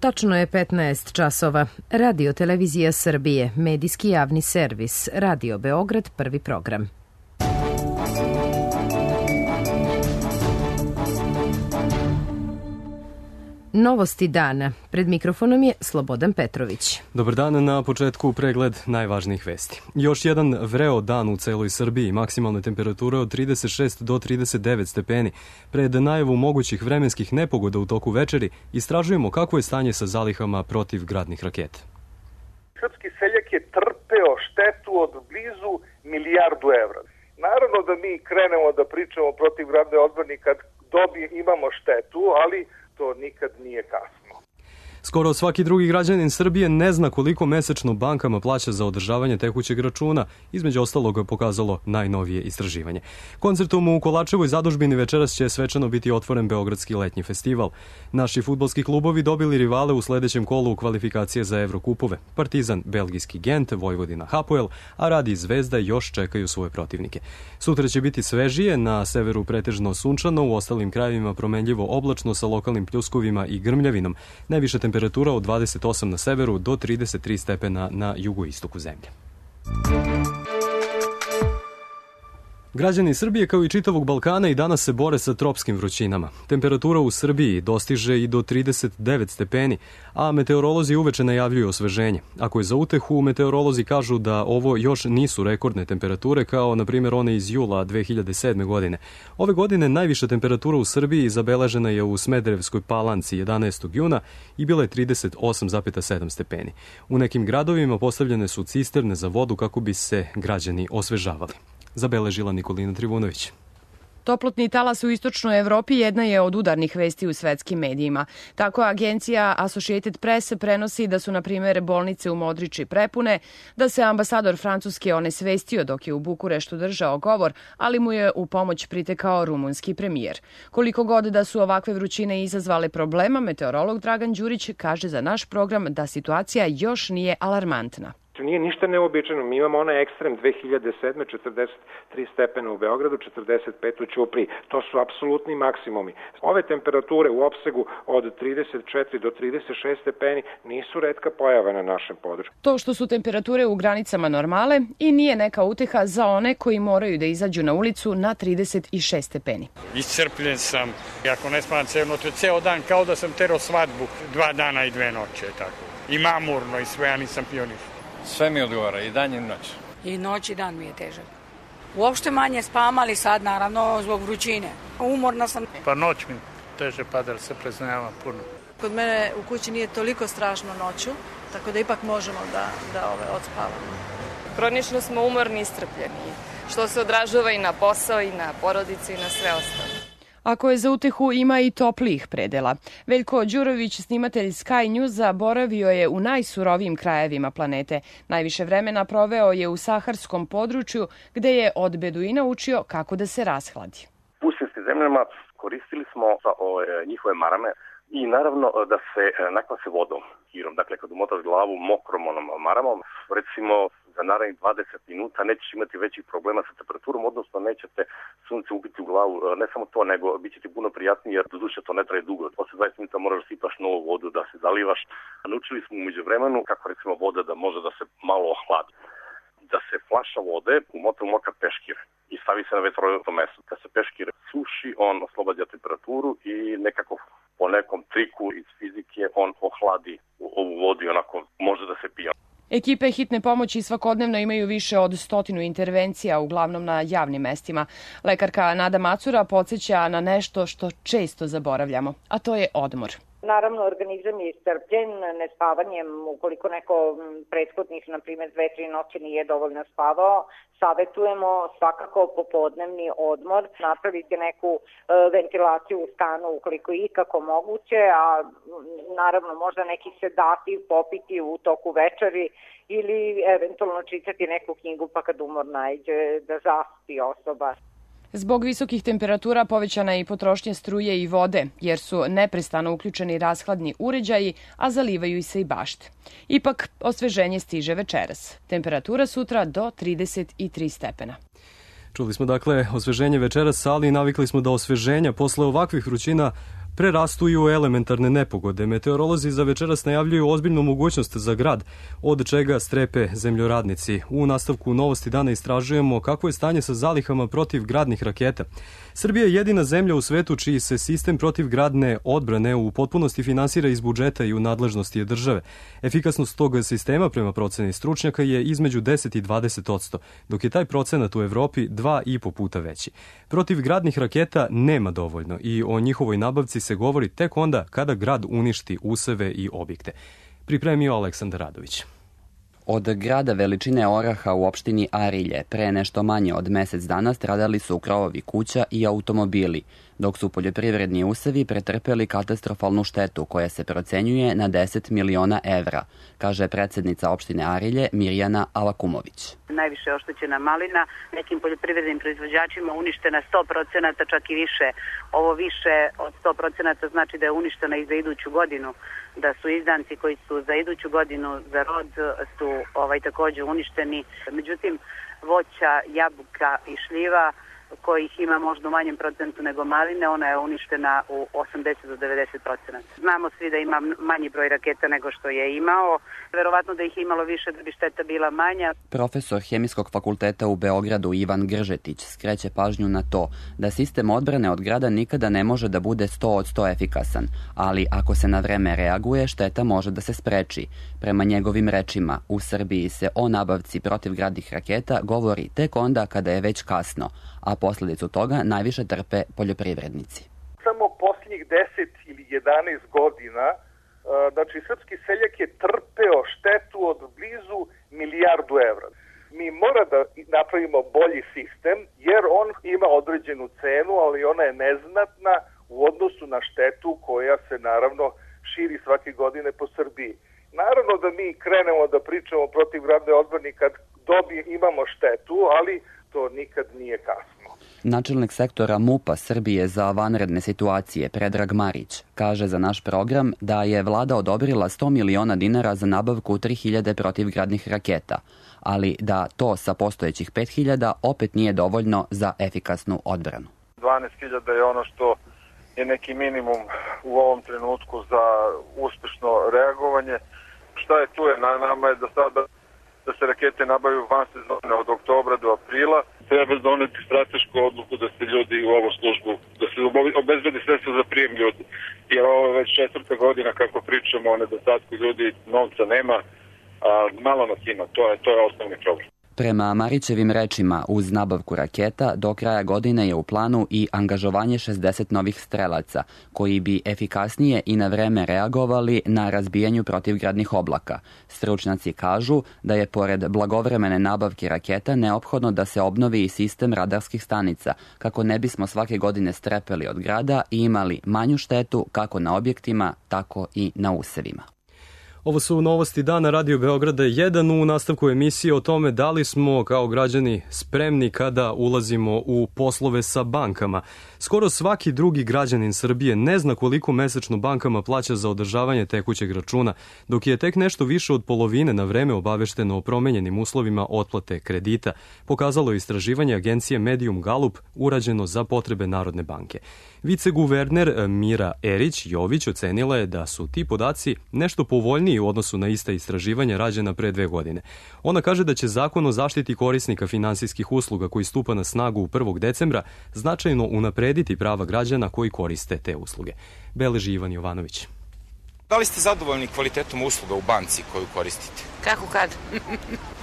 Tačno je 15 časova. Radio Televizija Srbije, medijski javni servis, Radio Beograd, prvi program. Novosti dana. Pred mikrofonom je Slobodan Petrović. Dobar dan, na početku pregled najvažnijih vesti. Još jedan vreo dan u celoj Srbiji, maksimalne temperature od 36 do 39 stepeni. Pred najavu mogućih vremenskih nepogoda u toku večeri istražujemo kakvo je stanje sa zalihama protivgradnih raketa. Srpski seljak je trpeo štetu od blizu milijardu evra. Naravno da mi krenemo da pričamo protivgradne odbrane kad imamo štetu, ali to nikad nije kasno. Skoro svaki drugi građanin Srbije ne zna koliko mesečno bankama plaća za održavanje tekućeg računa, između ostalog pokazalo najnovije istraživanje. Koncertom u Kolačevoj zadužbini večeras će svečano biti otvoren Beogradski letnji festival. Naši fudbalski klubovi dobili rivale u sledećem kolu kvalifikacije za Evrokupove. Partizan, belgijski Gent, Vojvodina Hapoel, a Radi i Zvezda još čekaju svoje protivnike. Sutra će biti svežije, na severu pretežno sunčano, u ostalim krajevima promenljivo oblačno sa lokalnim pljuskovima i grmljavinom. Najviše temperatura od 28 na severu do 33 stepena na jugoistoku zemlje. Građani Srbije kao i čitavog Balkana i danas se bore sa tropskim vrućinama. Temperatura u Srbiji dostiže i do 39 stepeni, a meteorolozi uveče najavljuju osveženje. Ako je za utehu, meteorolozi kažu da ovo još nisu rekordne temperature kao na primjer one iz jula 2007. godine. Ove godine najviša temperatura u Srbiji zabeležena je u Smederevskoj Palanci 11. juna i bila je 38,7 stepeni. U nekim gradovima postavljene su cisterne za vodu kako bi se građani osvežavali. Zabeležila Nikolina Trivunović. Toplotni talas u istočnoj Evropi jedna je od udarnih vesti u svetskim medijima. Tako agencija Associated Press prenosi da su, na primjer, bolnice u Modriči prepune, da se ambasador Francuske onesvestio dok je u Bukureštu držao govor, ali mu je u pomoć pritekao rumunski premijer. Koliko god da su ovakve vrućine izazvale problema, meteorolog Dragan Đurić kaže za naš program da situacija još nije alarmantna. Nije ništa neobičajno. Mi imamo onaj ekstrem 2007. 43 stepena u Beogradu, 45 u Ćupriji. To su apsolutni maksimumi. Ove temperature u opsegu od 34 do 36 stepeni nisu retka pojava na našem području. To što su temperature u granicama normale i nije neka uteha za one koji moraju da izađu na ulicu na 36 stepeni. Iscrpljen sam. Ako ne spavam ceo dan, kao da sam terao svadbu 2 dana i 2 noće. Tako. I mamurno i sve, ja nisam pionir. Sve mi odgovara, i dan i noć. I noć i dan mi je težak. Uopšte manje spavam, ali sad naravno zbog vrućine. Umorna sam. Pa noć mi teže pada, jer se preznajava puno. Kod mene u kući nije toliko strašno noću, tako da ipak možemo da odspavamo. Kronično smo umorni i iscrpljeni, što se odražava i na posao, i na porodicu, i na sve ostalo. Ako je za utehu, ima i toplijih predela. Veljko Đurović, snimatelj Sky Newsa, boravio je u najsurovijim krajevima planete. Najviše vremena proveo je u saharskom području, gde je od beduina učio kako da se rashladi. U pustinjskim zemljama koristili smo njihove marame i naravno da se nakvase vodom, hirom. Dakle, kad umotaš glavu mokrom maramom, recimo za narednih 20 minuta nećeš imati većih problema sa temperaturom, odnosno nećete sunce ubiti u glavu. Ne samo to, nego bit će ti puno prijatnije, jer doduše to ne traje dugo. Posle 20 minuta moraš da sipaš novu vodu, da se zalivaš. Naučili smo umeđu vremenu kako recimo voda da može da se malo ohladi. Da se flaša vode umota u mokar peškir i stavi se na vetrovatno mesto. Kad se peškir suši, on oslobađa temperaturu i nekako po nekom triku iz fizike on ohladi ovu vodu i onako može da se pije. Ekipe hitne pomoći svakodnevno imaju više od 100 intervencija, uglavnom na javnim mestima. Lekarka Nada Macura podsjeća na nešto što često zaboravljamo, a to je odmor. Naravno, organizam je iscrpljen nespavanjem. Ukoliko neko prethodnih, na primjer, 2-3 noći nije dovoljno spavao, savetujemo svakako popodnevni odmor, napraviti neku ventilaciju u stanu ukoliko je ikako moguće, a naravno možda neki sedativ popiti u toku večeri ili eventualno čitati neku knjigu pa kad umor naiđe da zaspi osoba. Zbog visokih temperatura povećana je i potrošnja struje i vode, jer su neprestano uključeni rashladni uređaji, a zalivaju se i bašte. Ipak, osveženje stiže večeras. Temperatura sutra do 33 stepena. Čuli smo dakle osveženje večeras, ali navikli smo da osveženja posle ovakvih vrućina prerastu u elementarne nepogode. Meteorolozi za večeras najavljuju ozbiljnu mogućnost za grad, od čega strepe zemljoradnici. U nastavku Novosti dana istražujemo kakvo je stanje sa zalihama protivgradnih raketa. Srbija je jedina zemlja u svetu čiji se sistem protivgradne odbrane u potpunosti finansira iz budžeta i u nadležnosti je države. Efikasnost tog sistema prema proceni stručnjaka je između 10 i 20%, dok je taj procenat u Evropi 2,5 puta veći. Protivgradnih raketa nema dovoljno i o njihovoj nabavci se govori tek onda kada grad uništi useve i objekte. Pripremio Aleksandar Radović. Od grada veličine Oraha u opštini Arilje pre nešto manje od mesec dana stradali su krovovi kuća i automobili, dok su poljoprivredni usevi pretrpeli katastrofalnu štetu koja se procenjuje na 10 miliona evra, kaže predsednica opštine Arilje Mirjana Alakumović. Najviše oštećena malina, nekim poljoprivrednim proizvođačima uništena 100%, čak i više. Ovo više od 100% znači da je uništena i za iduću godinu, da su izdanci koji su za iduću godinu za rod su takođe uništeni. Međutim, voća, jabuka i šljiva kojih ima možda u manjem procentu nego maline, ona je uništena u 80 do 90%. Znamo svi da ima manji broj raketa nego što je imao. Verovatno da ih je imalo više da bi šteta bila manja. Profesor Hemijskog fakulteta u Beogradu Ivan Gržetić skreće pažnju na to da sistem odbrane od grada nikada ne može da bude 100% efikasan, ali ako se na vreme reaguje, šteta može da se spreči. Prema njegovim rečima, u Srbiji se o nabavci protivgradnih raketa govori tek onda kada je već kasno, a posledicu toga najviše trpe poljoprivrednici. Samo posljednjih 10 ili 11 godina, znači srpski seljak je trpeo štetu od blizu milijardu evra. Mi mora da napravimo bolji sistem, jer on ima određenu cenu, ali ona je neznatna u odnosu na štetu koja se naravno širi svake godine po Srbiji. Naravno da mi krenemo da pričamo protivgradne odbrane kad imamo štetu, ali to nikad nije kasno. Načelnik sektora MUP-a Srbije za vanredne situacije Predrag Marić kaže za naš program da je vlada odobrila 100 miliona dinara za nabavku 3000 protivgradnih raketa, ali da to sa postojećih 5000 opet nije dovoljno za efikasnu odbranu. 12.000 je ono što je neki minimum u ovom trenutku za uspešno reagovanje. Šta je tu je na nama je da sada da se rakete nabavaju van sezone od oktobra do aprila. Treba doneti stratešku odluku da se ljudi u ovu službu, da se obezbedi sredstva za prijem ljudi. Jer ovo je već 4. godina kako pričamo o nedostatku ljudi, novca nema, a malo nas ima. To je osnovni problem. Prema Marićevim rečima, uz nabavku raketa, do kraja godine je u planu i angažovanje 60 novih strelaca, koji bi efikasnije i na vreme reagovali na razbijanju protivgradnih oblaka. Stručnjaci kažu da je pored blagovremene nabavke raketa neophodno da se obnovi i sistem radarskih stanica, kako ne bismo svake godine strepeli od grada i imali manju štetu kako na objektima, tako i na usevima. Ovo su Novosti dana Radio Beograda 1 u nastavku emisije o tome da li smo kao građani spremni kada ulazimo u poslove sa bankama. Skoro svaki drugi građanin Srbije ne zna koliko mesečno bankama plaća za održavanje tekućeg računa, dok je tek nešto više od polovine na vreme obavešteno o promenjenim uslovima otplate kredita, pokazalo istraživanje agencije Medium Gallup urađeno za potrebe Narodne banke. Viceguverner Mira Erić Jović ocenila je da su ti podaci nešto povoljniji u odnosu na ista istraživanja rađena pre 2 godine. Ona kaže da će Zakon o zaštiti korisnika finansijskih usluga koji stupa na snagu 1. decembra značajno unaprediti prava građana koji koriste te usluge. Beleži Ivan Jovanović. Da li ste zadovoljni kvalitetom usluga u banci koju koristite? Kako kad?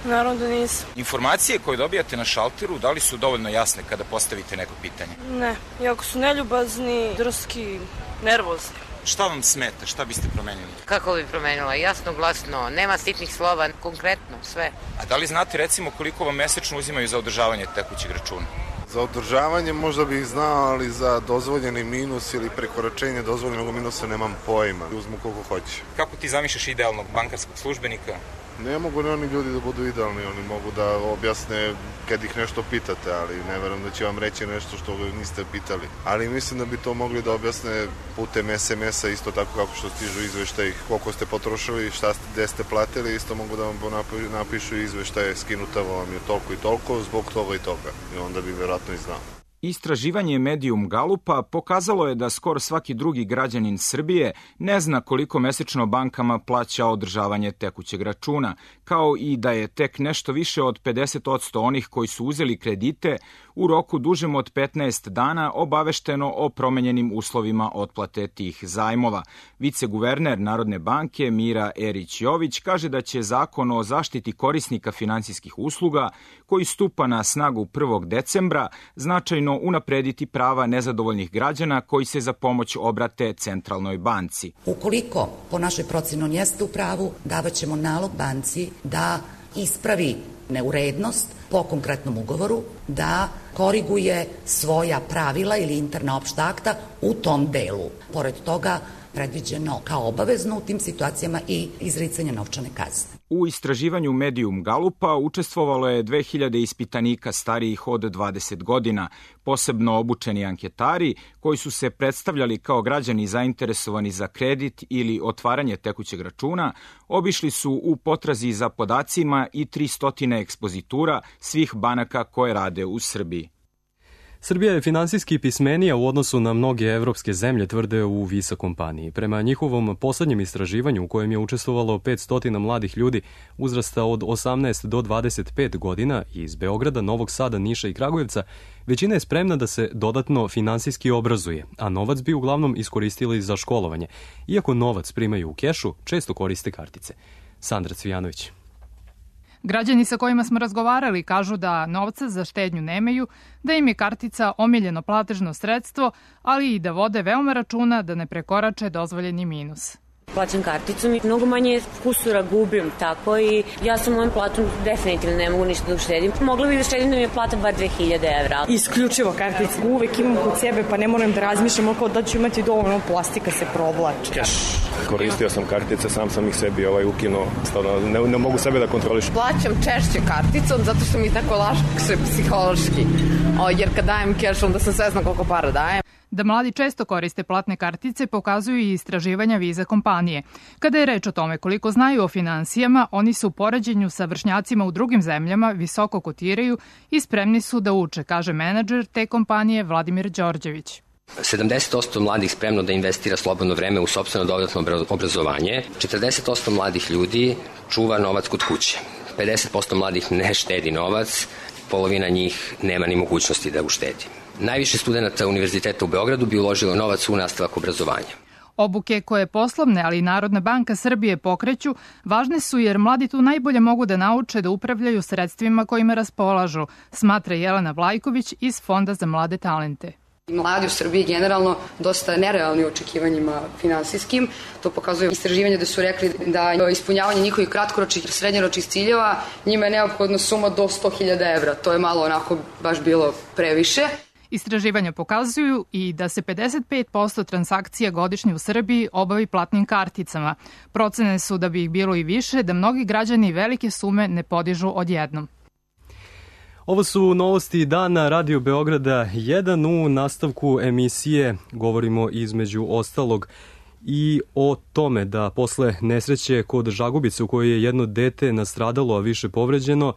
Naravno da nisam. Informacije koje dobijate na šalteru, da li su dovoljno jasne kada postavite neko pitanje? Ne, jako su neljubazni, drski, nervozni. Šta vam smeta? Šta biste promenili? Kako bi promenila? Jasno, glasno, nema sitnih slova, konkretno, sve. A da li znate recimo koliko vam mesečno uzimaju za održavanje tekućeg računa? Za održavanje možda bih znao, ali za dozvoljeni minus ili prekoračenje dozvoljenog minusa nemam pojma. Uzmu koliko hoće. Kako ti zamišljaš idealnog bankarskog službenika? Ne mogu ni oni ljudi da budu idealni, oni mogu da objasne kad ih nešto pitate, ali ne verujem da će vam reći nešto što niste pitali. Ali mislim da bi to mogli da objasne putem SMS-a, isto tako kako što stižu izveštaj koliko ste potrošili, gde ste platili, isto mogu da vam napišu izveštaje, skinuta vam je toliko i toliko, zbog toga i toga. I onda bi verovatno i znao. Istraživanje Medium Galupa pokazalo je da skoro svaki drugi građanin Srbije ne zna koliko mesečno bankama plaća održavanje tekućeg računa, kao i da je tek nešto više od 50% onih koji su uzeli kredite u roku dužem od 15 dana obavešteno o promenjenim uslovima otplate tih zajmova. Viceguverner Narodne banke Mira Erić-Jović kaže da će Zakon o zaštiti korisnika finansijskih usluga, koji stupa na snagu 1. decembra, značajno unaprediti prava nezadovoljnih građana koji se za pomoć obrate Centralnoj banci. Ukoliko po našoj proceni on jeste u pravu, davaćemo nalog banci da ispravi neurednost po konkretnom ugovoru, da koriguje svoja pravila ili interna opšta akta u tom delu. Pored toga, predviđeno kao obavezno u tim situacijama i izricanje novčane kazne. U istraživanju Medium Galupa učestvovalo je 2000 ispitanika starijih od 20 godina, posebno obučeni anketari koji su se predstavljali kao građani zainteresovani za kredit ili otvaranje tekućeg računa, obišli su u potrazi za podacima i 300 ekspozitura svih banaka koje rade u Srbiji. Srbija je finansijski pismenija u odnosu na mnoge evropske zemlje, tvrde u Visa kompaniji. Prema njihovom poslednjem istraživanju u kojem je učestvovalo 500 mladih ljudi uzrasta od 18 do 25 godina iz Beograda, Novog Sada, Niša i Kragujevca, većina je spremna da se dodatno finansijski obrazuje, a novac bi uglavnom iskoristili za školovanje. Iako novac primaju u kešu, često koriste kartice. Sandra Cvijanović. Građani sa kojima smo razgovarali kažu da novca za štednju nemaju, da im je kartica omiljeno platežno sredstvo, ali i da vode veoma računa da ne prekorače dozvoljeni minus. Plaćam karticom i mnogo manje kusura gubim, tako i ja sa mojom platom definitivno ne mogu ništa da uštedim. Mogla bih da štedim da mi je plata bar 2000 evra. Isključivo kartica. Uvek imam kod sebe pa ne moram da razmišljam oko da ću imati dovoljno, plastika se provlači. Koristio sam kartice, sam ih sebi ukinuo. Ne mogu sebe da kontrolišem. Plaćam češće karticom zato što mi tako lakše psihološki. Jer kad dajem keš, onda sam svesna koliko para dajem. Da mladi često koriste platne kartice pokazuju i istraživanja Visa kompanije. Kada je reč o tome koliko znaju o finansijama, oni se u poređenju sa vršnjacima u drugim zemljama visoko kotiraju i spremni su da uče, kaže menadžer te kompanije Vladimir Đorđević. 70% mladih spremno da investira slobodno vreme u sopstveno dodatno obrazovanje, 40% mladih ljudi čuva novac kod kuće, 50% mladih ne štedi novac, polovina njih nema ni mogućnosti da uštedi. Najviše studenta Univerziteta u Beogradu bi uložilo novac u nastavak obrazovanja. Obuke koje poslovne, ali i Narodna banka Srbije pokreću, važne su jer mladi tu najbolje mogu da nauče da upravljaju sredstvima kojima raspolažu, smatra Jelena Vlajković iz Fonda za mlade talente. Mladi u Srbiji generalno dosta nerealni u očekivanjima finansijskim. To pokazuje istraživanje da su rekli da ispunjavanje njihovih kratkoročnih i srednjoročnih ciljeva njima je neophodna suma do 100.000 evra. To je malo onako baš bilo previše. Istraživanja pokazuju i da se 55% transakcija godišnje u Srbiji obavi platnim karticama. Procene su da bi ih bilo i više, da mnogi građani velike sume ne podižu odjednom. Ovo su novosti dana Radio Beograda 1. U nastavku emisije govorimo između ostalog i o tome da posle nesreće kod Žagubice u kojoj je jedno dete nastradalo, a više povređeno,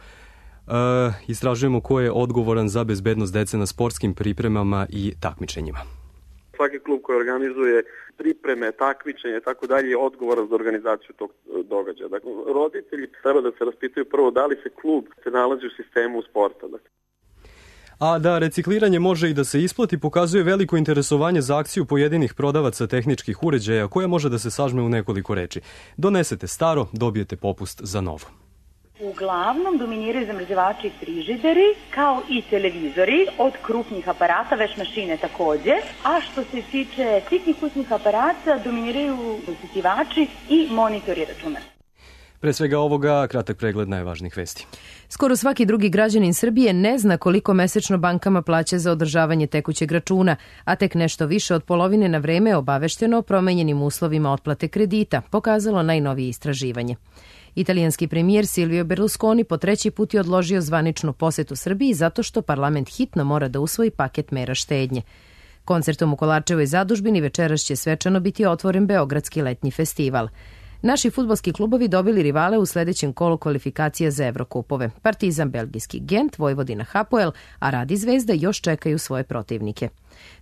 istražujemo ko je odgovoran za bezbednost dece na sportskim pripremama i takmičenjima. Svaki klub koji organizuje pripreme, takmičenje i tako dalje je odgovoran za organizaciju tog događaja. Dakle, roditelji treba da se raspitaju prvo da li se klub se nalazi u sistemu sporta. A da recikliranje može i da se isplati pokazuje veliko interesovanje za akciju pojedinih prodavaca tehničkih uređaja koja može da se sažme u nekoliko reči. Donesete staro, dobijete popust za novo. Uglavnom dominiraju zamrzivači i frižideri, kao i televizori, od krupnih aparata, veš mašine takođe, a što se tiče sitnih kućnih aparata, dominiraju usisivači i monitori računara. Pre svega ovoga, kratak pregled najvažnijih vesti. Skoro svaki drugi građanin Srbije ne zna koliko mesečno bankama plaća za održavanje tekućeg računa, a tek nešto više od polovine na vreme je obavešteno o promenjenim uslovima otplate kredita, pokazalo najnovije istraživanje. Italijanski premijer Silvio Berlusconi po treći put je odložio zvaničnu posetu Srbiji zato što parlament hitno mora da usvoji paket mera štednje. Koncertom u Kolarčevoj zadužbini večeras će svečano biti otvoren Beogradski letnji festival. Naši fudbalski klubovi dobili rivale u sledećem kolu kvalifikacija za Evrokupove. Partizan belgijski Gent, Vojvodina Hapoel, a Rad i Zvezda još čekaju svoje protivnike.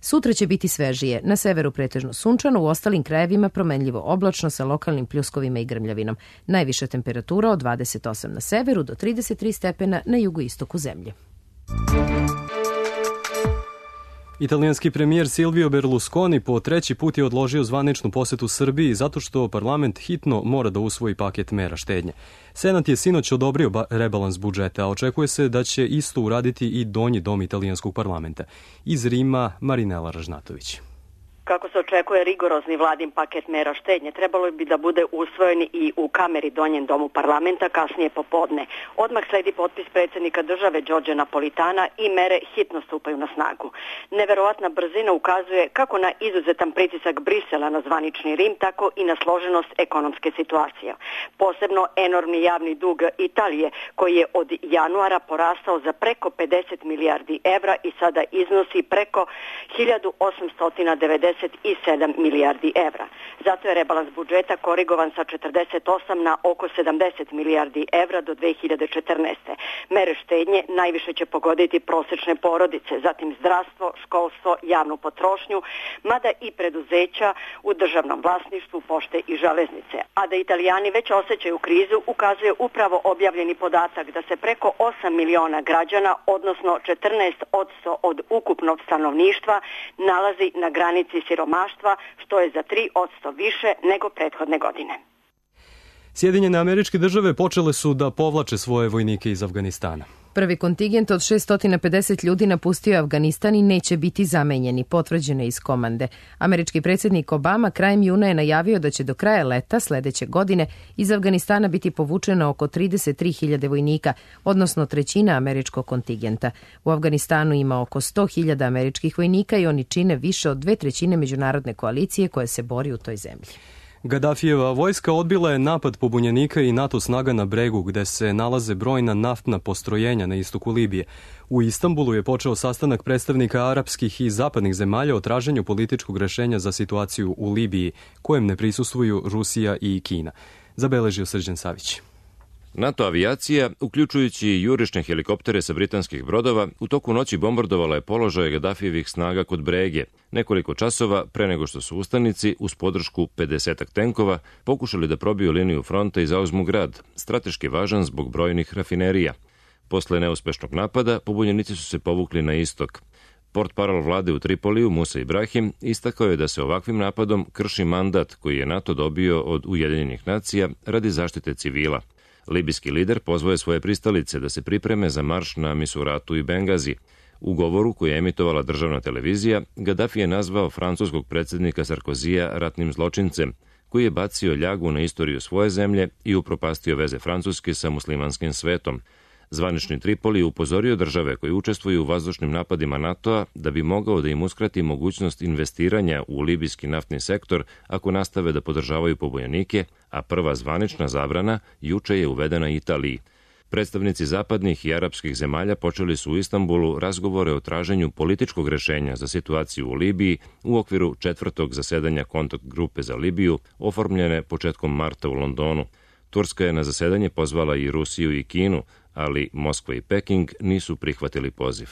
Sutra će biti svežije, na severu pretežno sunčano, u ostalim krajevima promenljivo oblačno sa lokalnim pljuskovima i grmljavinom. Najviša temperatura od 28 na severu do 33 stepena na jugoistoku zemlje. Italijanski premijer Silvio Berlusconi po treći put je odložio zvaničnu posetu Srbiji zato što parlament hitno mora da usvoji paket mera štednje. Senat je sinoć odobrio rebalans budžeta, a očekuje se da će isto uraditi i donji dom italijanskog parlamenta. Iz Rima, Marinela Ražnatović. Kako se očekuje rigorozni vladin paket mera štednje, trebalo bi da bude usvojen i u kameri donjem domu parlamenta kasnije popodne. Odmah sledi potpis predsjednika države Đorđa Napolitana i mere hitno stupaju na snagu. Neverovatna brzina ukazuje kako na izuzetan pritisak Brisela na zvanični Rim, tako i na složenost ekonomske situacije. Posebno enormni javni dug Italije, koji je od januara porastao za preko 50 milijardi evra i sada iznosi preko 1897 milijardi evra. Zato je rebalans budžeta korigovan sa 48 na oko 70 milijardi evra do 2014. Mere štednje najviše će pogoditi prosečne porodice, zatim zdravstvo, školstvo, javnu potrošnju, mada i preduzeća u državnom vlasništvu, pošte i železnice. A da Italijani već osjećaju krizu ukazuje upravo objavljeni podatak da se preko 8 miliona građana, odnosno 14% od ukupnog stanovništva, nalazi na granici siromaštva, što je za 3% više nego prethodne godine. Sjedinjene Američke Države počele su da povlače svoje vojnike iz Afganistana. Prvi kontingent od 650 ljudi napustio Afganistan i neće biti zamenjeni, potvrđeno iz komande. Američki predsjednik Obama krajem juna je najavio da će do kraja leta sledeće godine iz Afganistana biti povučeno oko 33.000 vojnika, odnosno trećina američkog kontingenta. U Afganistanu ima oko 100.000 američkih vojnika i oni čine više od 2/3 međunarodne koalicije koje se bori u toj zemlji. Gaddafijeva vojska odbila je napad pobunjenika i NATO snaga na bregu, gde se nalaze brojna naftna postrojenja na istoku Libije. U Istanbulu je počeo sastanak predstavnika arapskih i zapadnih zemalja o traženju političkog rešenja za situaciju u Libiji, kojem ne prisustvuju Rusija i Kina. Zabeležio Srđan Savić. NATO avijacija, uključujući i jurišne helikoptere sa britanskih brodova, u toku noći bombardovala je položaje Gaddafijevih snaga kod Brege, nekoliko časova pre nego što su ustanici, uz podršku 50 tenkova, pokušali da probiju liniju fronta i zauzmu grad, strateški važan zbog brojnih rafinerija. Posle neuspešnog napada, pobunjenici su se povukli na istok. Portparol vlade u Tripoliju, Musa Ibrahim, istakao je da se ovakvim napadom krši mandat koji je NATO dobio od Ujedinjenih nacija radi zaštite civila. Libijski lider pozvao je svoje pristalice da se pripreme za marš na Misuratu i Bengazi. U govoru koji je emitovala državna televizija, Gaddafi je nazvao francuskog predsjednika Sarkozija ratnim zločincem, koji je bacio ljagu na istoriju svoje zemlje i upropastio veze Francuske sa muslimanskim svetom. Zvanični Tripoli upozorio države koje učestvuju u vazdušnim napadima NATO-a da bi mogao da im uskrati mogućnost investiranja u libijski naftni sektor ako nastave da podržavaju pobunjenike, a prva zvanična zabrana juče je uvedena Italiji. Predstavnici zapadnih i arapskih zemalja počeli su u Istanbulu razgovore o traženju političkog rešenja za situaciju u Libiji u okviru 4. zasedanja kontakt grupe za Libiju, oformljene početkom marta u Londonu. Turska je na zasedanje pozvala i Rusiju i Kinu, ali Moskva i Peking nisu prihvatili poziv.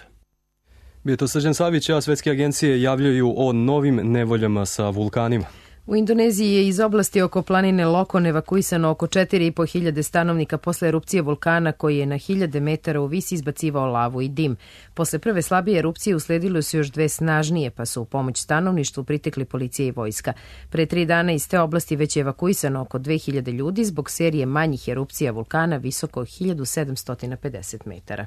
Bio to Srđan Savić, a svetske agencije javljaju o novim nevoljama sa vulkanima. U Indoneziji je iz oblasti oko planine Lokon evakuisano oko 4.500 stanovnika posle erupcije vulkana koji je na 1000 metara u visi izbacivao lavu i dim. Posle prve slabije erupcije usledilo su još 2 snažnije, pa su u pomoć stanovništvu pritekli policija i vojska. Pre 3 dana iz te oblasti već je evakuisano oko 2000 ljudi zbog serije manjih erupcija vulkana visoko 1750 metara.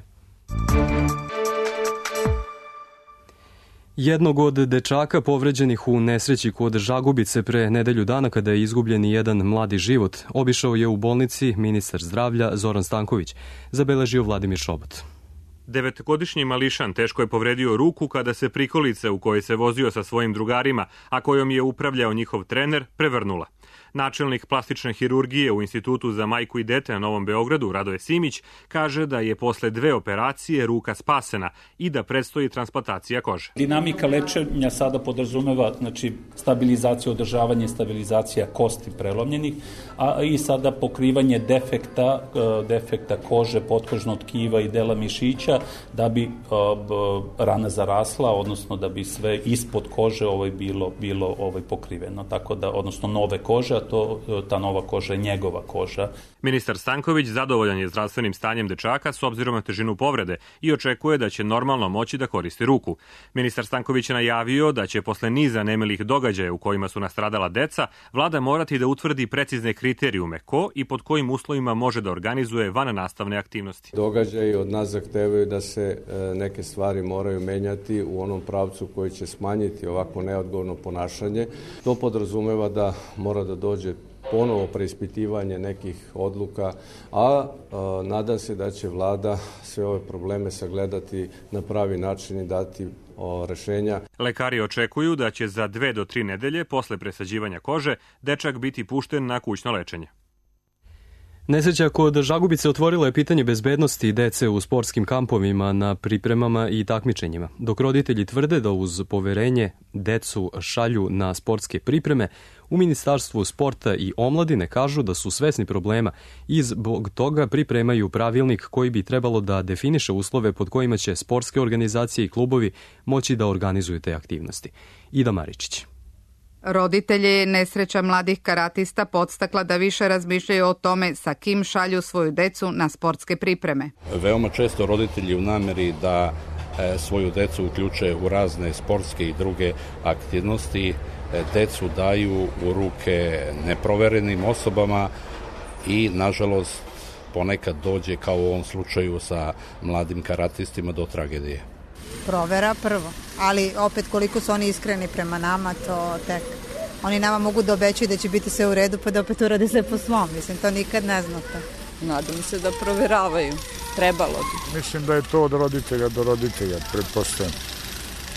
Jednog od dečaka povređenih u nesreći kod Žagubice pre nedelju dana kada je izgubljen jedan mladi život, obišao je u bolnici ministar zdravlja Zoran Stanković, zabeležio Vladimir Šobot. 9-godišnji mališan teško je povredio ruku kada se prikolica u kojoj se vozio sa svojim drugarima, a kojom je upravljao njihov trener, prevrnula. Načelnik plastične hirurgije u Institutu za majku i dete na Novom Beogradu, Radoje Simić, kaže da je posle 2 operacije ruka spasena i da predstoji transplantacija kože. Dinamika lečenja sada podrazumeva stabilizaciju, održavanje, stabilizacija kosti prelomljenih, a i sada pokrivanje defekta kože, potkožnog tkiva i dela mišića da bi rana zarasla, odnosno da bi sve ispod kože bilo pokriveno, tako da, odnosno nove kože, a ta nova koža je njegova koža. Ministar Stanković zadovoljan je zdravstvenim stanjem dečaka s obzirom na težinu povrede i očekuje da će normalno moći da koristi ruku. Ministar Stanković je najavio da će posle niza nemilih događaja u kojima su nastradala deca, vlada morati da utvrdi precizne kriterijume ko i pod kojim uslovima može da organizuje vannastavne aktivnosti. Događaji od nas zahtevaju da se neke stvari moraju menjati u onom pravcu koji će smanjiti ovako neodgovorno ponašanje. To podrazumeva da mora da dođe ponovo preispitivanje nekih odluka, a nadam se da će vlada sve ove probleme sagledati na pravi način i dati rešenja. Lekari očekuju da će za 2 do 3 nedelje posle presađivanja kože dečak biti pušten na kućno lečenje. Nesreća kod Žagubice otvorila je pitanje bezbednosti dece u sportskim kampovima, na pripremama i takmičenjima. Dok roditelji tvrde da uz poverenje decu šalju na sportske pripreme, u Ministarstvu sporta i omladine kažu da su svesni problema i zbog toga pripremaju pravilnik koji bi trebalo da definiše uslove pod kojima će sportske organizacije i klubovi moći da organizuju te aktivnosti. Ida Maričić. Roditelje nesreća mladih karatista podstakla da više razmišljaju o tome sa kim šalju svoju decu na sportske pripreme. Veoma često roditelji u nameri da svoju decu uključe u razne sportske i druge aktivnosti, decu daju u ruke neproverenim osobama i, nažalost, ponekad dođe, kao u ovom slučaju sa mladim karatistima, do tragedije. Provera prvo, ali opet koliko su oni iskreni prema nama, to tek. Oni nama mogu da obećaju da će biti sve u redu, pa da opet urade sve po svom. Mislim, to nikad ne znate. Nadam se da proveravaju. Trebalo bi. Mislim da je to od roditelja do roditelja, pretpostavljam.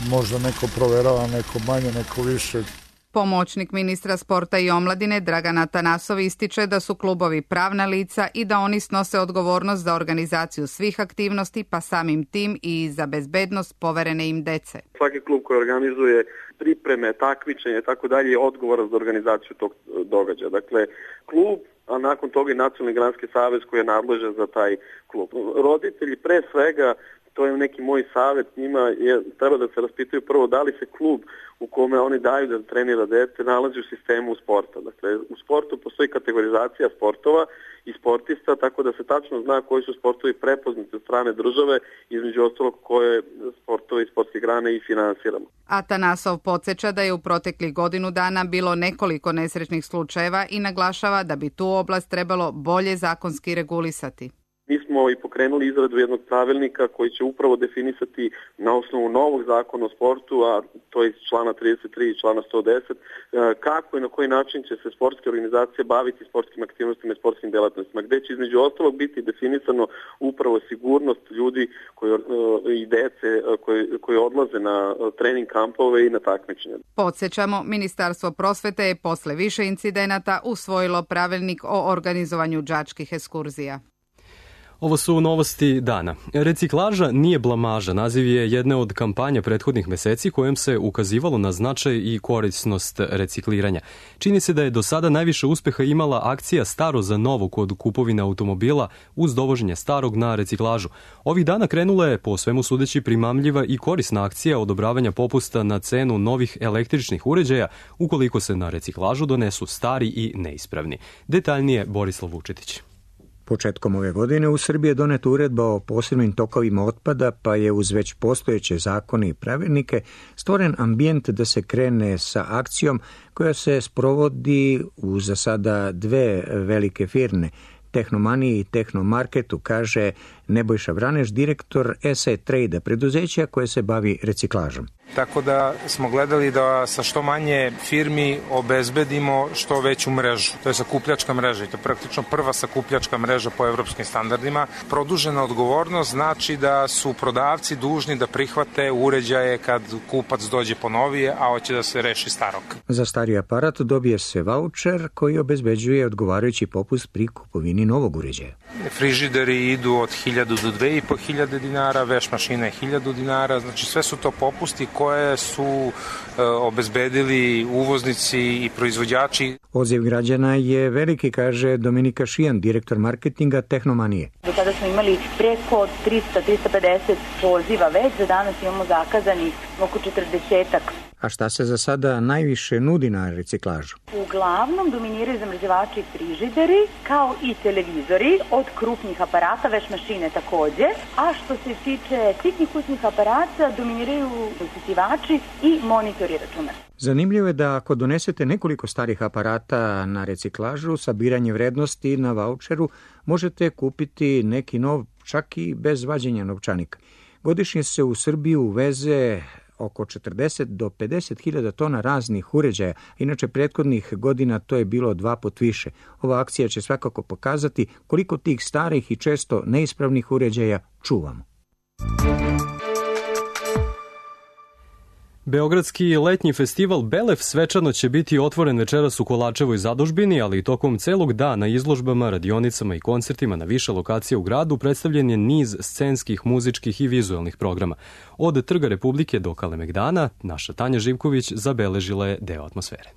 Možda neko proverava, neko manje, neko više. Pomoćnik ministra sporta i omladine Dragan Atanasov ističe da su klubovi pravna lica i da oni snose odgovornost za organizaciju svih aktivnosti, pa samim tim i za bezbednost poverene im dece. Svaki klub koji organizuje pripreme, takmičenje i tako dalje je odgovoran za organizaciju tog događaja. Dakle, klub, a nakon toga i Nacionalni granski savez koji je nadležan za taj klub. Roditelji pre svega, to je neki moj savjet njima, treba da se raspitaju prvo da li se klub u kome oni daju da trenira dete nalazi u sistemu sporta. Dakle, u sportu postoji kategorizacija sportova i sportista, tako da se tačno zna koji su sportovi prepoznati od strane države, između ostalog koje sportove i sportske grane i finansiramo. Atanasov podsjeća da je u proteklih godinu dana bilo nekoliko nesrećnih slučajeva i naglašava da bi tu oblast trebalo bolje zakonski regulisati. Mi smo i pokrenuli izradu jednog pravilnika koji će upravo definisati na osnovu novog zakona o sportu, a to je iz člana 33 i člana 110, kako i na koji način će se sportske organizacije baviti sportskim aktivnostima i sportskim delatnostima, gde će između ostalog biti definisano upravo sigurnost ljudi i dece koji odlaze na trening kampove i na takmičenja. Podsjećamo, Ministarstvo prosvete je posle više incidenata usvojilo pravilnik o organizovanju đačkih ekskurzija. Ovo su novosti dana. Reciklaža nije blamaža. Naziv je jedne od kampanja prethodnih meseci kojom se ukazivalo na značaj i korisnost recikliranja. Čini se da je do sada najviše uspeha imala akcija Staro za novo kod kupovine automobila uz dovoženje starog na reciklažu. Ovih dana krenula je, po svemu sudeći, primamljiva i korisna akcija odobravanja popusta na cenu novih električnih uređaja ukoliko se na reciklažu donesu stari i neispravni. Detaljnije Borislav Vučetić. Početkom ove godine u Srbiji je doneta uredba o posebnim tokovima otpada, pa je uz već postojeće zakone i pravilnike stvoren ambijent da se krene sa akcijom koja se sprovodi u za sada 2 velike firme, Tehnomaniji i Tehnomarketu, kaže Nebojša Vraneš, direktor SA Trade-a, preduzeća koje se bavi reciklažom. tako da smo gledali da sa što manje firmi obezbedimo što veću mrežu. To je sakupljačka mreža i to je praktično prva sakupljačka mreža po evropskim standardima. Produžena odgovornost znači da su prodavci dužni da prihvate uređaje kad kupac dođe po novije, a hoće da se reši starog. Za stari aparat dobije se vaučer koji obezbeđuje odgovarajući popust pri kupovini novog uređaja. Frižideri idu od 1000 do 2500 dinara, veš mašine 1000 dinara, znači sve su to popusti koje su obezbedili uvoznici i proizvođači. Odziv građana je veliki, kaže Dominika Šijan, direktor marketinga Tehnomanije. Do tada smo imali preko 300-350 poziva, već za danas imamo zakazanih oko 40-ak. A šta se za sada najviše nudi na reciklažu? Uglavnom dominiraju zamrzivači i frižideri, kao i televizori, od krupnih aparata, veš mašine takođe, a što se tiče sitnih kućnih aparata, dominiraju usisivači i monitori računara. Zanimljivo je da ako donesete nekoliko starih aparata na reciklažu, sabiranje vrednosti na vaučeru, možete kupiti neki nov, čak i bez vađenja novčanika. Godišnje se u Srbiju uveze oko 40 do 50.000 tona raznih uređaja, inače prethodnih godina to je bilo 2 puta više. Ova akcija će svakako pokazati koliko tih starih i često neispravnih uređaja čuvamo. Beogradski letnji festival Belef svečano će biti otvoren večeras u Kolarčevoj zadužbini, ali i tokom celog dana izložbama, radionicama i koncertima na više lokacija u gradu predstavljen je niz scenskih, muzičkih i vizuelnih programa. Od Trga Republike do Kalemegdana, naša Tanja Živković zabeležila je deo atmosfere.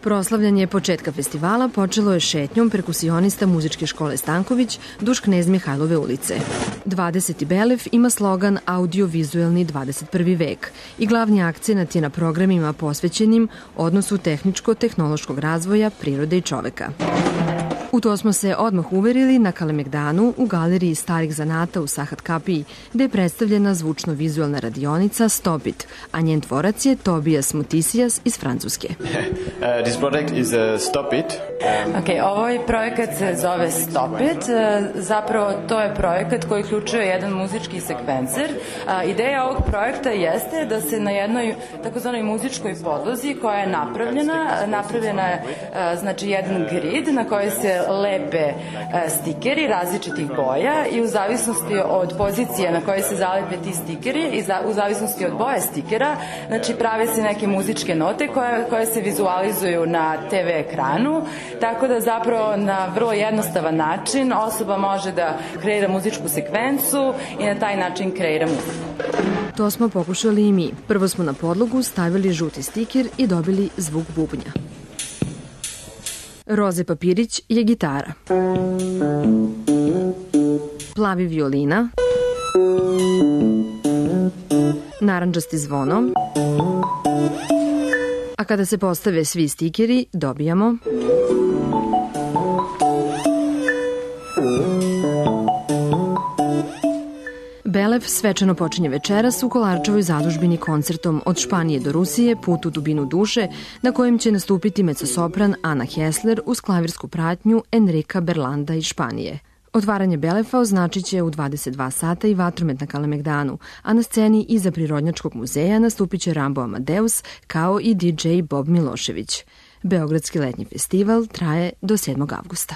Proslavljanje početka festivala počelo je šetnjom perkusionista muzičke škole Stanković duž Knez Mihajlove ulice. 20. Belef ima slogan Audio-vizuelni 21. vek i glavni akcenat je na programima posvećenim odnosu tehničko-tehnološkog razvoja prirode i čoveka. U to smo se odmah uverili na Kalemegdanu u galeriji starih zanata u Sahat Kapiji, gde je predstavljena zvučno-vizuelna radionica Stop It, a njen tvorac je Tobias Mutisijas iz Francuske. This project is Stop It. Ovaj projekat se zove Stop It. Zapravo to je projekat koji uključuje jedan muzički sekvencer. Ideja ovog projekta jeste da se na jednoj takozvanoj muzičkoj podlozi koja je napravljena je znači jedan grid na kojoj se lepe stikeri različitih boja i u zavisnosti od pozicije na kojoj se zalepe ti stikeri i u zavisnosti od boje stikera, znači prave se neke muzičke note koje se vizualizuju na TV ekranu, tako da zapravo na vrlo jednostavan način osoba može da kreira muzičku sekvencu i na taj način kreira muziku. To smo pokušali i mi. Prvo smo na podlogu stavili žuti stiker i dobili zvuk bubnja. Roze papirić je gitara. Plavi violina. Narandžasti zvono. A kada se postave svi stikeri, dobijamo Belef svečano počinje večeras u Kolarčevoj zadužbini koncertom Od Španije do Rusije, Put u dubinu duše, na kojem će nastupiti mecosopran Ana Hessler uz klavirsku pratnju Enrika Berlanda iz Španije. Otvaranje Belefa označit će u 22 sata i vatromet na Kalemegdanu, a na sceni iza Prirodnjačkog muzeja nastupit će Rambo Amadeus kao i DJ Bob Milošević. Beogradski letnji festival traje do 7. avgusta.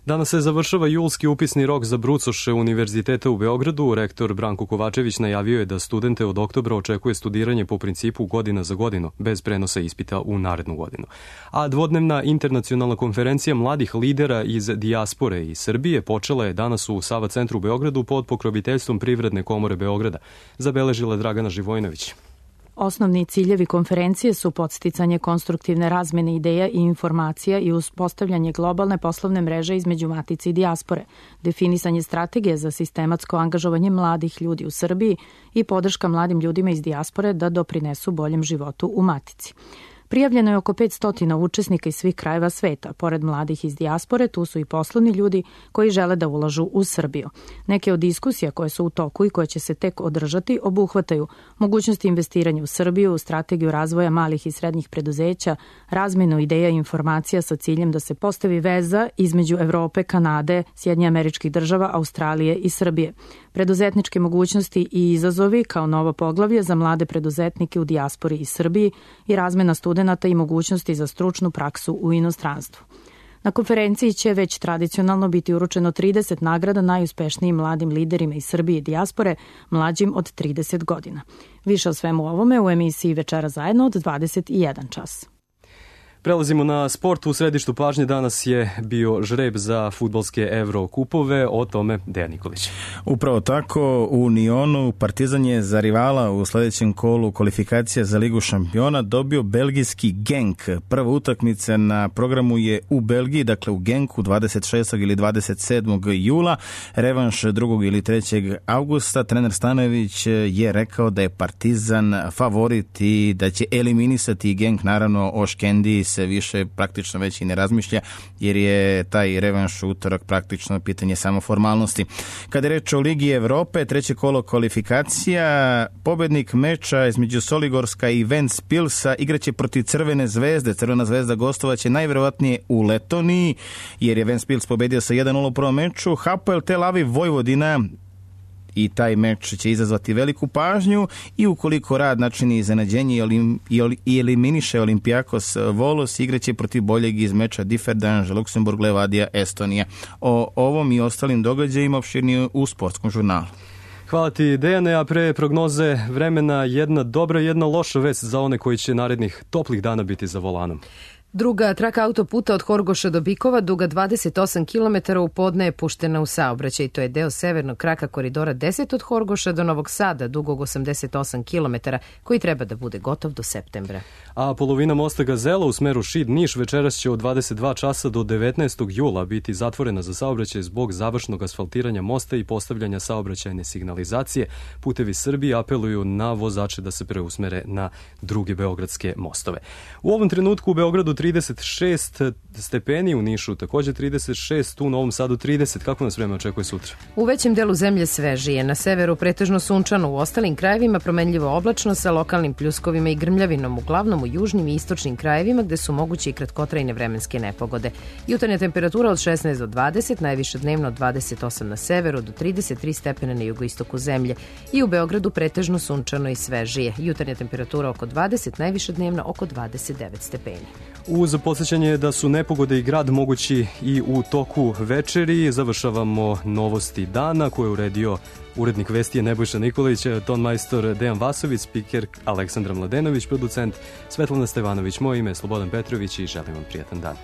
Danas se završava julski upisni rok za brucoše Univerziteta u Beogradu. Rektor Branko Kovačević najavio je da studente od oktobra očekuje studiranje po principu godina za godinu, bez prenosa ispita u narednu godinu. A dvodnevna internacionalna konferencija mladih lidera iz dijaspore i Srbije počela je danas u Sava centru u Beogradu pod pokroviteljstvom Privredne komore Beograda, zabeležila Dragana Živojnović. Osnovni ciljevi konferencije su podsticanje konstruktivne razmene ideja i informacija i uspostavljanje globalne poslovne mreže između matice i dijaspore, definisanje strategije za sistematsko angažovanje mladih ljudi u Srbiji i podrška mladim ljudima iz dijaspore da doprinesu boljem životu u matici. Prijavljeno je oko 500 učesnika iz svih krajeva sveta. Pored mladih iz dijaspore, tu su i poslovni ljudi koji žele da ulažu u Srbiju. Neke od diskusija koje su u toku i koje će se tek održati obuhvataju mogućnosti investiranja u Srbiju, strategiju razvoja malih i srednjih preduzeća, razmenu ideja i informacija sa ciljem da se postavi veza između Evrope, Kanade, Sjedinjenih Američkih Država, Australije i Srbije. Preduzetničke mogućnosti i izazovi kao novo poglavlje za mlade preduzetnike u dijaspori i Srbiji i razmena studenata i mogućnosti za stručnu praksu u inostranstvu. Na konferenciji će već tradicionalno biti uručeno 30 nagrada najuspešnijim mladim liderima iz Srbije i dijaspore mlađim od 30 godina. Više o svemu ovome u emisiji Večera zajedno od 21 čas. Prelazimo na sport. U središtu pažnje danas je bio žreb za fudbalske Evrokupove, o tome Dejan Nikolić. Upravo tako, u Nionu Partizan je za rivala u sljedećem kolu kvalifikacija za Ligu šampiona dobio belgijski Genk. Prva utakmica na programu je u Belgiji, dakle u Genku 26. ili 27. jula, revanš 2. ili 3. augusta. Trener Stanojević je rekao da je Partizan favorit i da će eliminisati Genk, naravno o Škendi se više praktično već i ne razmišlja, jer je taj revanš utorak praktično pitanje samo formalnosti. Kada je reč o Ligi Evrope, treće kolo kvalifikacija, pobednik meča između Soligorska i Ventspilsa igraće protiv Crvene zvezde. Crvena zvezda gostovaće najverovatnije u Letoniji, jer je Ventspils pobedio sa 1-0 u prvom meču. Hapoel Tel Aviv Vojvodina, i taj meč će izazvati veliku pažnju i ukoliko Rad načini iznenađenje i eliminiše Olympiakos Volos, igraće protiv boljeg iz meča Differdange, Luksemburg, Levadia, Estonija. O ovom i ostalim događajima opširnije u Sportskom žurnalu. Hvala ti, Dejane, a pre prognoze vremena jedna dobra i jedna loša vest za one koji će narednih toplih dana biti za volanom. Druga traka autoputa od Horgoša do Bikova, duga 28 km, u podne je puštena u saobraćaj. To je deo severnog kraka koridora 10 od Horgoša do Novog Sada, dugog 88 km, koji treba da bude gotov do septembra. A polovina mosta Gazela u smeru Šid-Niš večeras će od 22 časa do 19. jula biti zatvorena za saobraćaj zbog završnog asfaltiranja mosta i postavljanja saobraćajne signalizacije. Putevi Srbije apeluju na vozače da se preusmere na druge beogradske mostove. U ovom trenutku u Beogradu 36 stepeni, u Nišu također 36, u Novom Sadu 30. Kako nas vreme očekuje sutra? U većem delu zemlje svežije, na severu pretežno sunčano, u ostalim krajevima promenljivo oblačno sa lokalnim pljuskovima i grmljavinom, uglavnom u južnim i istočnim krajevima gde su moguće i kratkotrajne vremenske nepogode. Jutarnja temperatura od 16 do 20, najviše dnevno od 28 na severu do 33 stepena na jugoistoku zemlje. I u Beogradu pretežno sunčano i svežije. Jutarnja temperatura oko 20, najviše dnevno oko 29 stepeni. Uz podsjećanje da su nepogode i grad mogući i u toku večeri, završavamo novosti dana koje je uredio urednik vesti Nebojša Nikolić, tonmajstor Dejan Vasović, spiker Aleksandra Mladenović, producent Svetlana Stevanović. Moje ime je Slobodan Petrović i želim vam prijatan dan.